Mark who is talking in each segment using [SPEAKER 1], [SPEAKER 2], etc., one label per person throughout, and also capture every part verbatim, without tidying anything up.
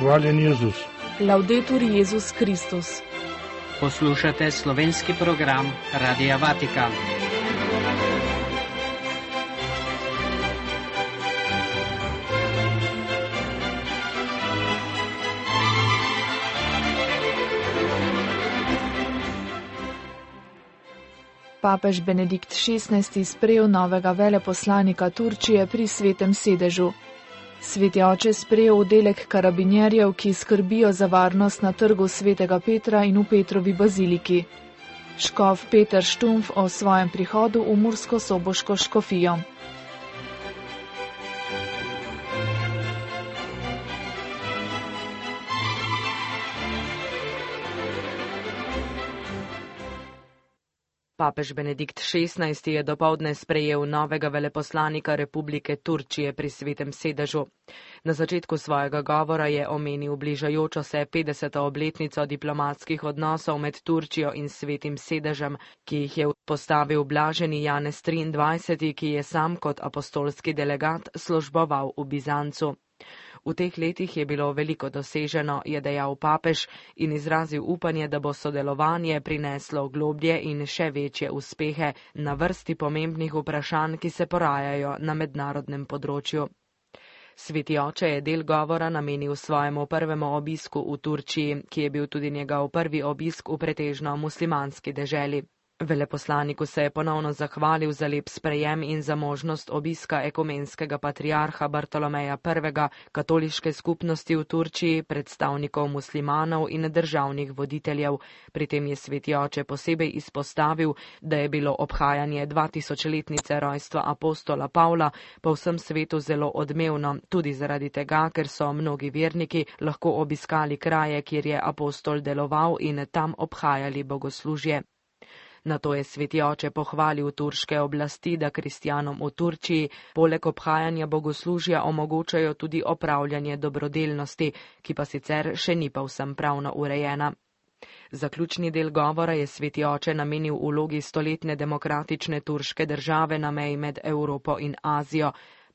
[SPEAKER 1] Hvaljen Jezus.
[SPEAKER 2] Laudetur Jezus Kristus.
[SPEAKER 3] Poslušate slovenski program Radia Vatikan.
[SPEAKER 2] Papež Benedikt šestnajsti sprejel novega veleposlanika Turčije pri Svetem sedežu. Sveti oče sprejel oddelek karabinjerjev, ki skrbijo za varnost na trgu Svetega Petra in v Petrovi baziliki. Škof Peter Štumf o svojem prihodu v Mursko-Soboško škofijo. Papež Benedikt šestnajsti je dopoldne sprejel novega veleposlanika Republike Turčije pri Svetem sedežu. Na začetku svojega govora je omenil bližajočo se petdeseto obletnico diplomatskih odnosov med Turčijo in Svetim sedežem, ki jih je postavil blaženi Janez triindvajseti, ki je sam kot apostolski delegat služboval v Bizancu. V teh letih je bilo veliko doseženo, je dejal papež in izrazil upanje, da bo sodelovanje prineslo globlje in še večje uspehe na vrsti pomembnih vprašanj, ki se porajajo na mednarodnem področju. Sveti oče je del govora namenil svojemu prvemu obisku v Turčiji, ki je bil tudi njegov prvi obisk v pretežno muslimanski deželi. Veleposlaniku se je ponovno zahvalil za lep sprejem in za možnost obiska ekumenskega patriarha Bartolomeja prvega, katoliške skupnosti v Turčiji, predstavnikov muslimanov in državnih voditeljev. Pri tem je sveti oče posebej izpostavil, da je bilo obhajanje dvatisočletnice rojstva apostola Pavla po vsem svetu zelo odmevno, tudi zaradi tega, ker so mnogi verniki lahko obiskali kraje, kjer je apostol deloval in tam obhajali bogoslužje. Nato je sveti oče pohvalil turške oblasti, da kristjanom v Turčiji poleg obhajanja bogoslužja omogočajo tudi opravljanje dobrodelnosti, ki pa sicer še ni povsem pravno urejena. Zaključni del govora je sveti oče namenil vlogi stoletne demokratične turške države na meji med Evropo in Azijo.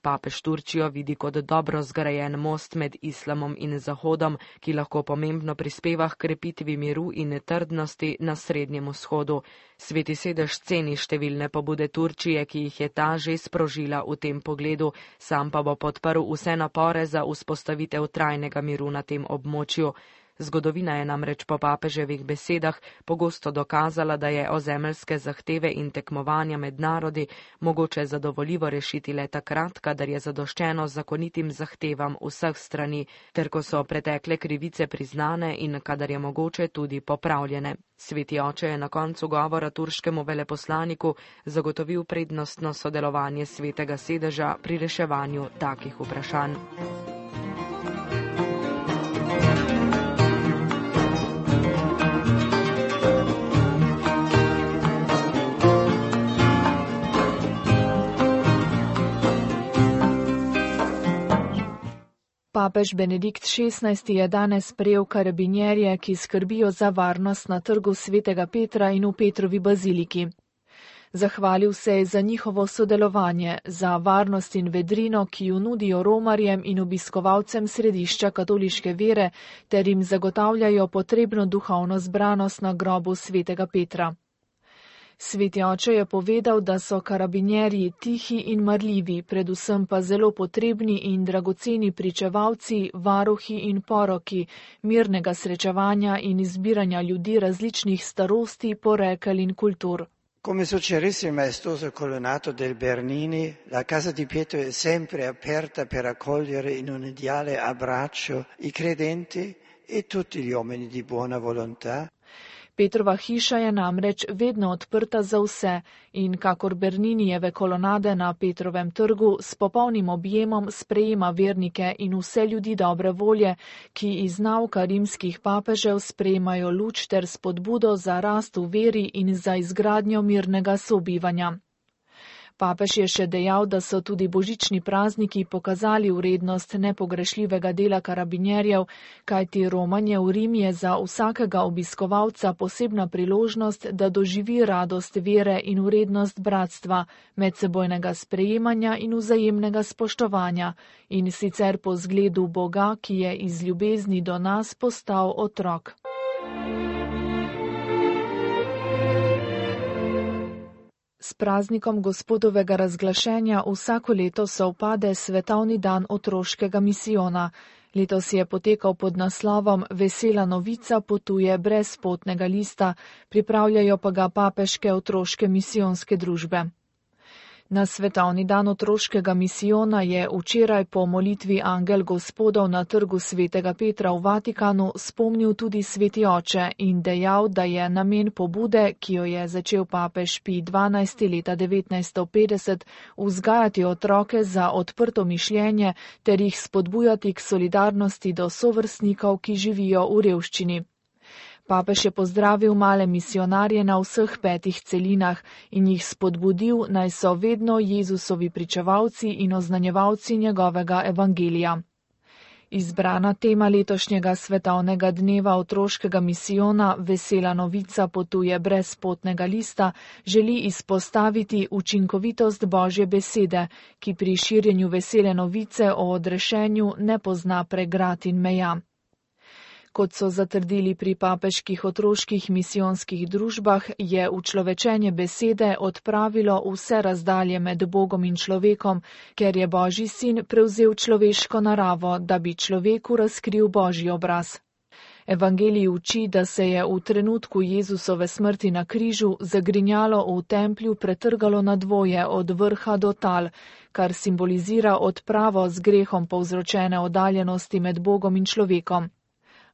[SPEAKER 2] Papež Turčijo vidi kot dobro zgrajen most med islamom in zahodom, ki lahko pomembno prispeva k krepitvi miru in trdnosti na Srednjem vzhodu. Sveti sedež ceni številne pobude Turčije, ki jih je ta že sprožila v tem pogledu, sam pa bo podprl vse napore za vzpostavitev trajnega miru na tem območju. Zgodovina je namreč po papeževih besedah pogosto dokazala, da je ozemeljske zahteve in tekmovanja med narodi mogoče zadovoljivo rešiti le takrat, kadar je zadoščeno zakonitim zahtevam vseh strani, ter ko so pretekle krivice priznane in kadar je mogoče tudi popravljene. Sveti oče je na koncu govora turškemu veleposlaniku zagotovil prednostno sodelovanje Svetega sedeža pri reševanju takih vprašanj. Papež Benedikt šestnajsti je danes sprejel karabinjerje, ki skrbijo za varnost na trgu Svetega Petra in v Petrovi baziliki. Zahvalil se je za njihovo sodelovanje, za varnost in vedrino, ki jo nudijo romarjem in obiskovalcem središča katoliške vere, ter jim zagotavljajo potrebno duhovno zbranost na grobu Svetega Petra. Sveti oče je povedal, da so karabinjerji tihi in marljivi, predvsem pa zelo potrebni in dragoceni pričevalci, varuhi in poroki mirnega srečevanja in izbiranja ljudi različnih starosti, porekel in kultur.
[SPEAKER 4] Come suggerisce il maestoso colonnato del Bernini, la casa di Pietro è sempre aperta per accogliere in un ideale abbraccio i credenti e tutti gli uomini di buona volontà.
[SPEAKER 2] Petrova hiša je namreč vedno odprta za vse in kakor Berninijeve kolonade na Petrovem trgu s popolnim objemom sprejema vernike in vse ljudi dobre volje, ki iz nauka rimskih papežev sprejemajo luč ter spodbudo za rast v veri in za izgradnjo mirnega sobivanja.
[SPEAKER 1] Papež je še dejal, da so tudi božični prazniki pokazali vrednost nepogrešljivega dela karabinjerjev, kajti romanje v Rim je za vsakega obiskovalca posebna priložnost, da doživi radost vere in vrednost bratstva, medsebojnega sprejemanja in vzajemnega spoštovanja, in sicer po zgledu Boga, ki je iz ljubezni do nas postal otrok. S praznikom Gospodovega razglašenja vsako leto sovpade svetovni dan otroškega misijona. Letos je potekal pod naslovom Vesela novica potuje brez potnega lista, pripravljajo pa ga papeške otroške misijonske družbe. Na svetovni dan otroškega misijona je včeraj po molitvi Angel Gospodov na trgu svetega Petra v Vatikanu spomnil tudi sveti oče in dejal, da je namen pobude, ki jo je začel papež Pij dvanajsti leta devetnajststo petdeset, vzgajati otroke za odprto mišljenje ter jih spodbujati k solidarnosti do sovrstnikov, ki živijo v revščini. Papež je pozdravil male misijonarje na vseh petih celinah in jih spodbudil, naj so vedno Jezusovi pričevalci in oznanjevalci njegovega evangelija. Izbrana tema letošnjega svetovnega dneva otroškega misijona Vesela novica potuje brez potnega lista želi izpostaviti učinkovitost Božje besede, ki pri širjenju vesele novice o odrešenju ne pozna pregrad in meja. Kot so zatrdili pri papeških otroških misijonskih družbah, je učlovečenje besede odpravilo vse razdalje med Bogom in človekom, ker je Božji sin prevzel človeško naravo, da bi človeku razkril Božji obraz. Evangelij uči, da se je v trenutku Jezusove smrti na križu zagrinjalo v templju pretrgalo na dvoje od vrha do tal, kar simbolizira odpravo z grehom povzročene oddaljenosti med Bogom in človekom.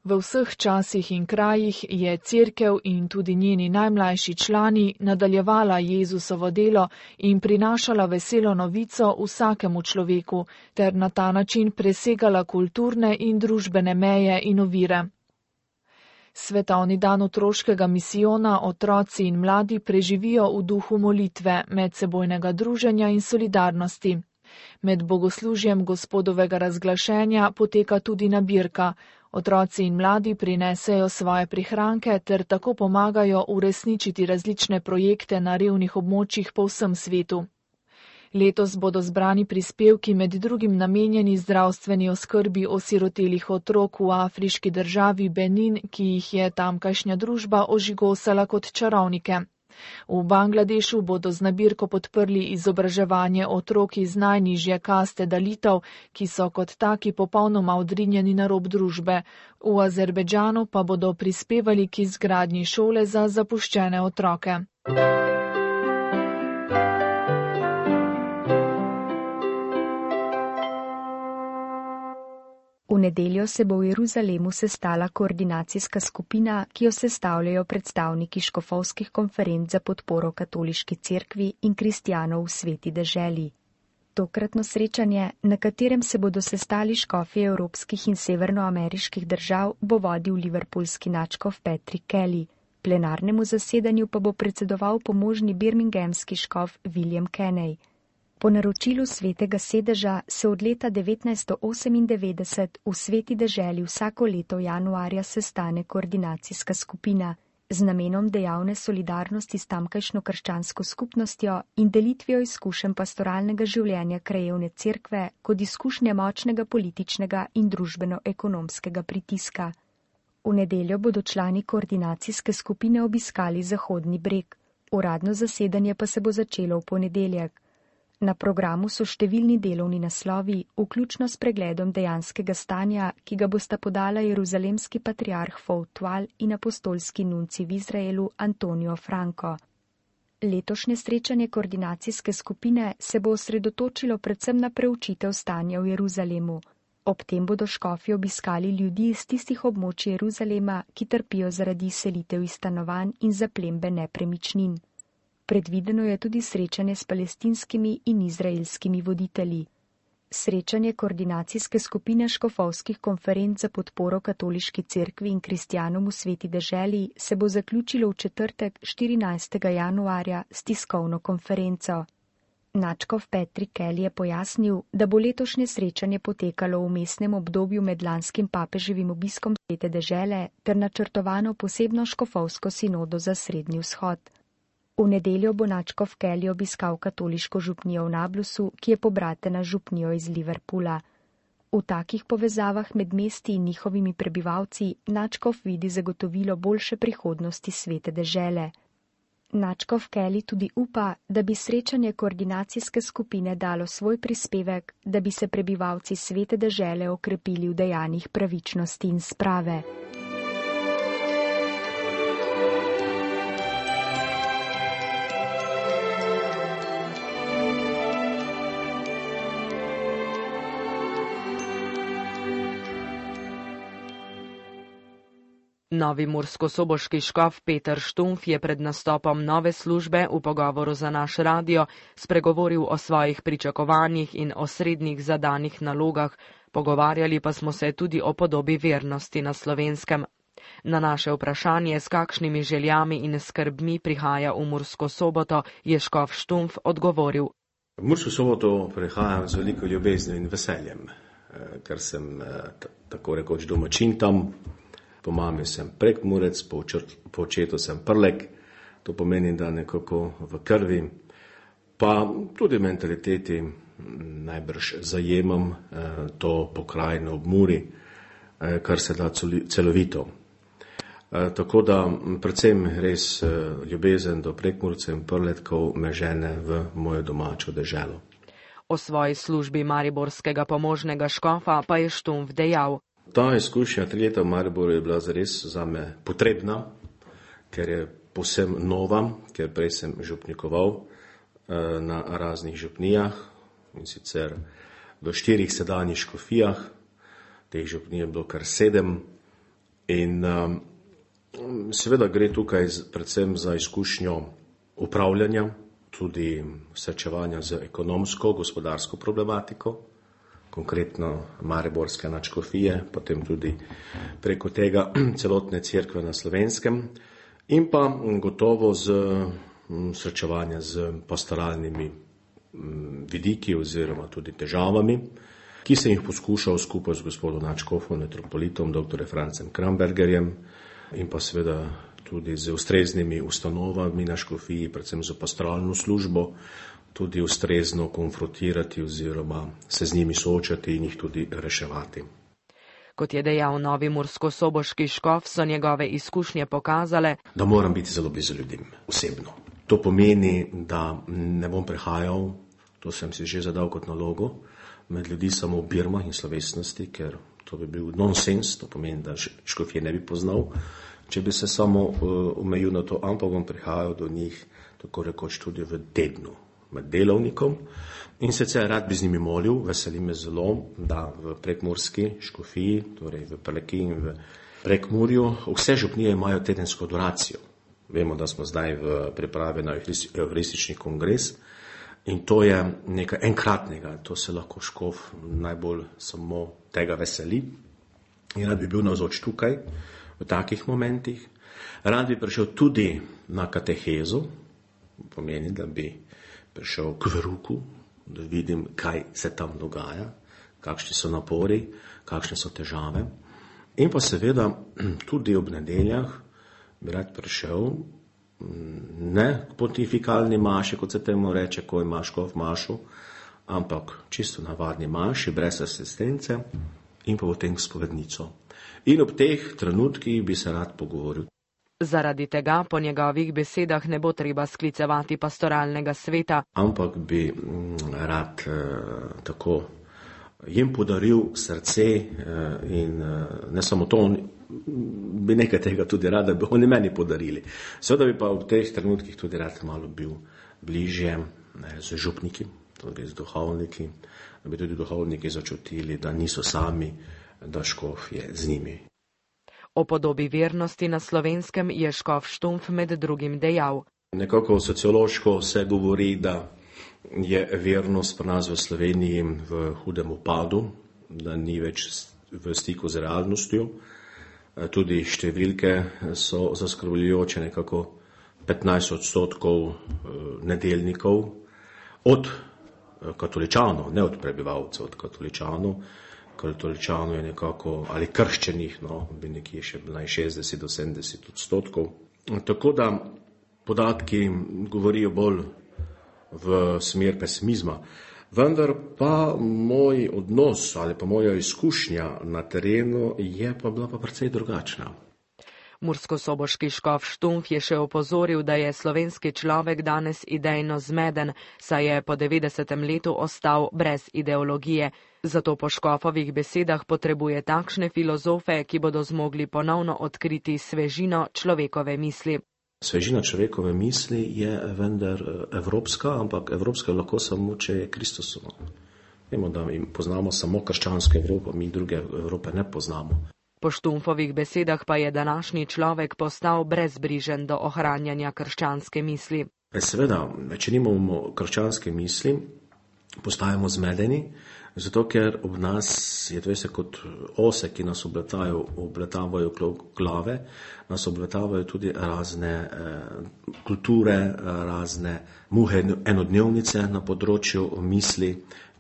[SPEAKER 1] V vseh časih in krajih je Cerkev in tudi njeni najmlajši člani nadaljevala Jezusovo delo in prinašala veselo novico vsakemu človeku, ter na ta način presegala kulturne in družbene meje in ovire. Svetovni dan otroškega misijona otroci in mladi preživijo v duhu molitve, medsebojnega druženja in solidarnosti. Med bogoslužjem Gospodovega razglašenja poteka tudi nabirka. Otroci in mladi prinesejo svoje prihranke ter tako pomagajo uresničiti različne projekte na revnih območjih po vsem svetu. Letos bodo zbrani prispevki med drugim namenjeni zdravstveni oskrbi osirotelih otrok v afriški državi Benin, ki jih je tamkajšnja družba ožigosala kot čarovnike. V Bangladešu bodo z nabirko podprli izobraževanje otrok iz najnižje kaste dalitov, ki so kot taki popolnoma odrinjeni na rob družbe. V Azerbejdžanu pa bodo prispevali k izgradnji šole za zapuščene otroke.
[SPEAKER 5] V nedeljo se bo v Jeruzalemu sestala koordinacijska skupina, ki jo sestavljajo predstavniki škofovskih konferenc za podporo katoliški cerkvi in kristjanov v sveti deželi. Tokratno srečanje, na katerem se bodo sestali škofje evropskih in severnoameriških držav, bo vodil liverpoolski nadškof Patrick Kelly. Plenarnemu zasedanju pa bo predsedoval pomožni birminghamski škof William Kenney. Po naročilu svetega sedeža se od leta devetnajststo osemindevetdeset v sveti deželi vsako leto januarja sestane koordinacijska skupina z namenom dejavne solidarnosti s tamkajšnjo krščansko skupnostjo in delitvijo izkušenj pastoralnega življenja krajevne cerkve kot izkušnje močnega političnega in družbeno-ekonomskega pritiska. V nedeljo bodo člani koordinacijske skupine obiskali Zahodni breg. Uradno zasedanje pa se bo začelo v ponedeljek. Na programu so številni delovni naslovi, vključno s pregledom dejanskega stanja, ki ga bosta podala jeruzalemski patriarh Foutual in apostolski nunci v Izraelu Antonio Franco. Letošnje srečanje koordinacijske skupine se bo osredotočilo predvsem na preučitev stanja v Jeruzalemu. Ob tem bodo škofi obiskali ljudi iz tistih območij Jeruzalema, ki trpijo zaradi selitev iz stanovanj in zaplembe nepremičnin. Predvideno je tudi srečanje s palestinskimi in izraelskimi voditelji. Srečanje koordinacijske skupine škofovskih konferenc za podporo katoliški cerkvi in kristjanom v sveti deželi se bo zaključilo v četrtek štirinajstega januarja s tiskovno konferenco. Nadškof Patrick Kelly je pojasnil, da bo letošnje srečanje potekalo v vmesnem obdobju med lanskim papeževim obiskom Svete dežele ter načrtovano posebno škofovsko sinodo za Srednji vzhod. V nedeljo bo nadškof Kelly obiskal katoliško župnijo v Nablusu, ki je pobratena župnijo iz Liverpoola. V takih povezavah med mesti in njihovimi prebivalci nadškof vidi zagotovilo boljše prihodnosti Svete dežele. Nadškof Kelly tudi upa, da bi srečanje koordinacijske skupine dalo svoj prispevek, da bi se prebivalci Svete dežele okrepili v dejanjih pravičnosti in sprave.
[SPEAKER 2] Novi murskosoboški škof Peter Štumpf je pred nastopom nove službe v pogovoru za naš radio spregovoril o svojih pričakovanjih in osrednjih zadanih nalogah, pogovarjali pa smo se tudi o podobi vernosti na Slovenskem. Na naše vprašanje, s kakšnimi željami in skrbmi prihaja v Mursko Soboto, je škof Štumpf odgovoril.
[SPEAKER 6] V Mursko Soboto prihajam z veliko ljubeznijo in veseljem, ker sem tako rekoč domačin tam. Po mami sem Prekmurec, po, po očetu sem Prlek, to pomeni, da nekako v krvi, pa tudi v mentaliteti najbrž zajemam eh, to pokrajino ob Muri, eh, kar se da celovito. Eh, tako da predvsem res eh, ljubezen do Prekmurcev in Prletkov me žene v mojo domačo deželo.
[SPEAKER 2] O svoji službi mariborskega pomožnega škofa pa je Štumpf dejal.
[SPEAKER 6] Ta izkušnja tri leta v Mariboru je bila zares zame potrebna, ker je povsem nova, ker prej sem župnikoval eh, na raznih župnijah in sicer v štirih sedanjih škofijah, teh župnij je bilo kar sedem in eh, seveda gre tukaj predvsem za izkušnjo upravljanja, tudi srečevanja z ekonomsko, gospodarsko problematiko, konkretno mariborske nadškofije, potem tudi preko tega celotne cerkve na Slovenskem in pa gotovo z srečevanja z pastoralnimi vidiki oziroma tudi težavami, ki sem jih poskušal skupaj z gospodom nadškofom, metropolitom, doktorjem Francem Krambergerjem in pa seveda tudi z ustreznimi ustanovami na škofiji, predvsem z pastoralno službo, tudi ustrezno konfrontirati oziroma se z njimi soočati in jih tudi reševati.
[SPEAKER 2] Kot je dejal novi murskosoboški škof, so njegove izkušnje pokazale,
[SPEAKER 6] da moram biti zelo blizu ljudem, osebno. To pomeni, da ne bom prehajal, to sem si že zadal kot nalogo, med ljudi samo v birmah in slovesnosti, ker to bi bil nonsens, to pomeni, da škofje ne bi poznal, če bi se samo omejil uh, na to, ampak bom prihajal do njih, tako rekoč tudi v tednu, med delovnikom in sicer rad bi z njimi molil, veseli me zelo, da v Prekmurski škofiji, torej v Prleki in v Prekmurju, vse župnije imajo tedensko adoracijo. Vemo, da smo zdaj v pripravi na evharistični kongres in to je nekaj enkratnega, to se lahko škof najbolj samo tega veseli in rad bi bil navzoč tukaj v takih momentih. Rad bi prišel tudi na katehezo, pomeni, da bi prišel k veruku, da vidim, kaj se tam dogaja, kakšni so napori, kakšne so težave. In pa seveda tudi ob nedeljah bi rad prišel ne k pontifikalni maši, kot se temu reče, ko ima škof mašo, ampak čisto navadni maši, brez asistence in pa potem spovednico. In ob teh trenutkih bi se rad pogovoril.
[SPEAKER 2] Zaradi tega po njegovih besedah ne bo treba sklicevati pastoralnega sveta.
[SPEAKER 6] Ampak bi rad eh, tako jim podaril srce eh, in eh, ne samo to, on, bi nekaj tega tudi rad, da bi oni meni podarili. Seveda bi pa v teh trenutkih tudi rad malo bil bližje ne, z župniki, torej z duhovniki, da bi tudi duhovniki začutili, da niso sami, da škof je z njimi.
[SPEAKER 2] O podobi vernosti na Slovenskem je škof Štumpf med drugim dejal.
[SPEAKER 6] Nekako sociološko se govori, da je vernost pri nas v Sloveniji v hudem upadu, da ni več v stiku z realnostjo. Tudi številke so zaskrbljujoče, nekako petnajst odstotkov nedeljnikov od katoličanov, ne od prebivalcev, od katoličanov. Katoličanov je nekako, ali krščenih, no, bi nekje še bilo šestdeset do sedemdeset odstotkov. Tako da podatki govorijo bolj v smer pesimizma. Vendar pa moj odnos ali pa moja izkušnja na terenu je pa bila pa precej drugačna.
[SPEAKER 2] Murskosoboški škof Štumpf je še opozoril, da je slovenski človek danes idejno zmeden, saj je po devetdesetem letu ostal brez ideologije. Zato po škofovih besedah potrebuje takšne filozofe, ki bodo zmogli ponovno odkriti svežino človekove misli.
[SPEAKER 6] Svežina človekove misli je vendar evropska, ampak evropska lahko samo, če je Kristusova. Vemo, da mi poznamo samo krščansko Evropo, mi druge Evrope ne poznamo.
[SPEAKER 2] Po Štumpfovih besedah pa je današnji človek postal brezbrižen do ohranjanja krščanske misli.
[SPEAKER 6] Seveda, če nimamo krščanske misli, postajamo zmedeni, zato ker ob nas je to vse kot ose, ki nas obletavajo, obletavajo glave, nas obletavajo tudi razne eh, kulture, razne muhe enodnevnice na področju misli,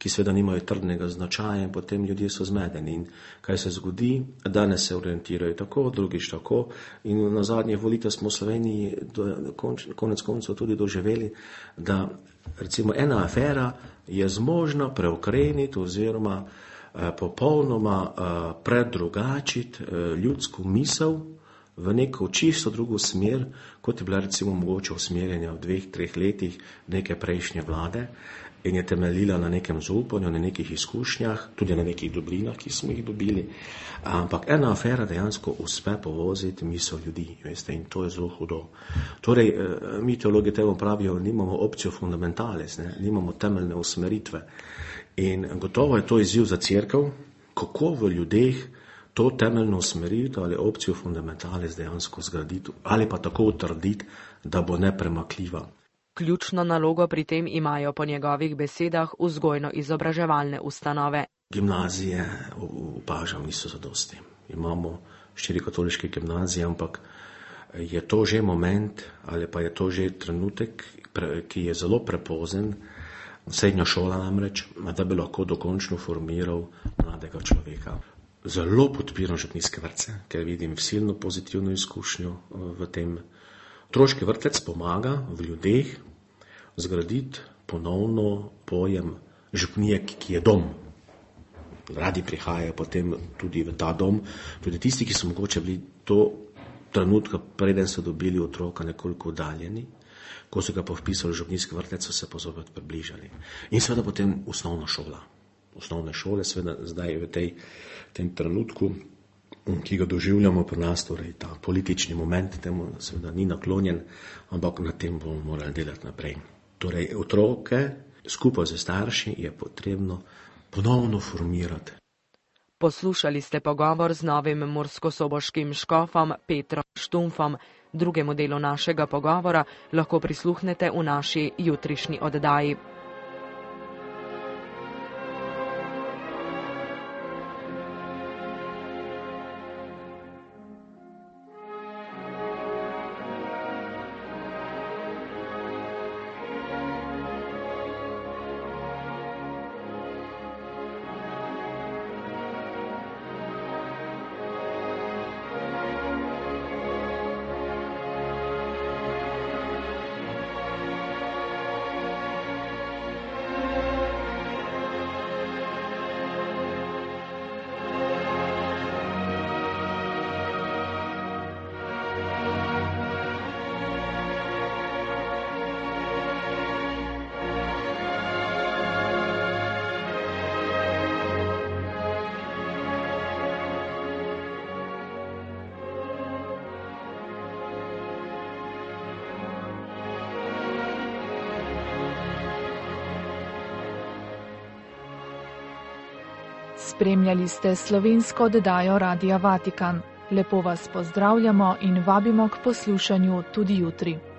[SPEAKER 6] ki seveda nimajo trdnega značaja in potem ljudje so zmedeni. In kaj se zgodi? Danes se orientirajo tako, drugič tako in na zadnjih volitvah smo v Sloveniji do, konč, konec koncev tudi doživeli, da recimo ena afera je zmožna preokreniti oziroma eh, popolnoma eh, predrugačiti eh, ljudsko misel v neko čisto drugo smer, kot je bila recimo mogoče usmerjanja v dveh, treh letih neke prejšnje vlade in je temeljila na nekem zaupanju, na nekih izkušnjah, tudi na nekih dobrinah, ki smo jih dobili. Ampak ena afera dejansko uspe povoziti misel ljudi, veste, in to je zelo hudo. Torej, mi teologi temu pravijo, nimamo opcijo fundamentales, ne, nimamo temeljne usmeritve. In gotovo je to izziv za cerkev, kako v ljudeh to temeljno usmeritev ali opcijo fundamentales dejansko zgraditi ali pa tako utrditi, da bo nepremakljiva.
[SPEAKER 2] Ključno nalogo pri tem imajo po njegovih besedah vzgojno-izobraževalne ustanove.
[SPEAKER 6] Gimnazije, opažam, niso zadosti. Imamo štiri katoliške gimnazije, ampak je to že moment ali pa je to že trenutek, ki je zelo prepozen, srednja šola namreč, da bi lahko dokončno formiral mladega človeka. Zelo podpiram župnijske vrtce, ker vidim silno pozitivno izkušnjo v tem. Otroški vrtec pomaga v ljudeh zgraditi ponovno pojem župnije, ki je dom. Radi prihajajo potem tudi v ta dom, tudi tisti, ki so mogoče bili to trenutka, preden so dobili otroka, nekoliko oddaljeni, ko so ga pa vpisali v župnijski vrtec, so se pa zopet približali. In seveda potem osnovna šola. Osnovne šole, seveda zdaj v tej, tem trenutku, ki ga doživljamo pri nas, torej ta politični moment, temu seveda ni naklonjen, ampak na tem bomo morali delati naprej. Torej, otroke skupaj z starši je potrebno ponovno formirati.
[SPEAKER 2] Poslušali ste pogovor z novim murskosoboškim škofom Petrom Štumpfom. Drugemu delu našega pogovora lahko prisluhnete v naši jutrišnji oddaji.
[SPEAKER 1] Spremljali ste slovensko oddajo Radia Vatikan. Lepo vas pozdravljamo in vabimo k poslušanju tudi jutri.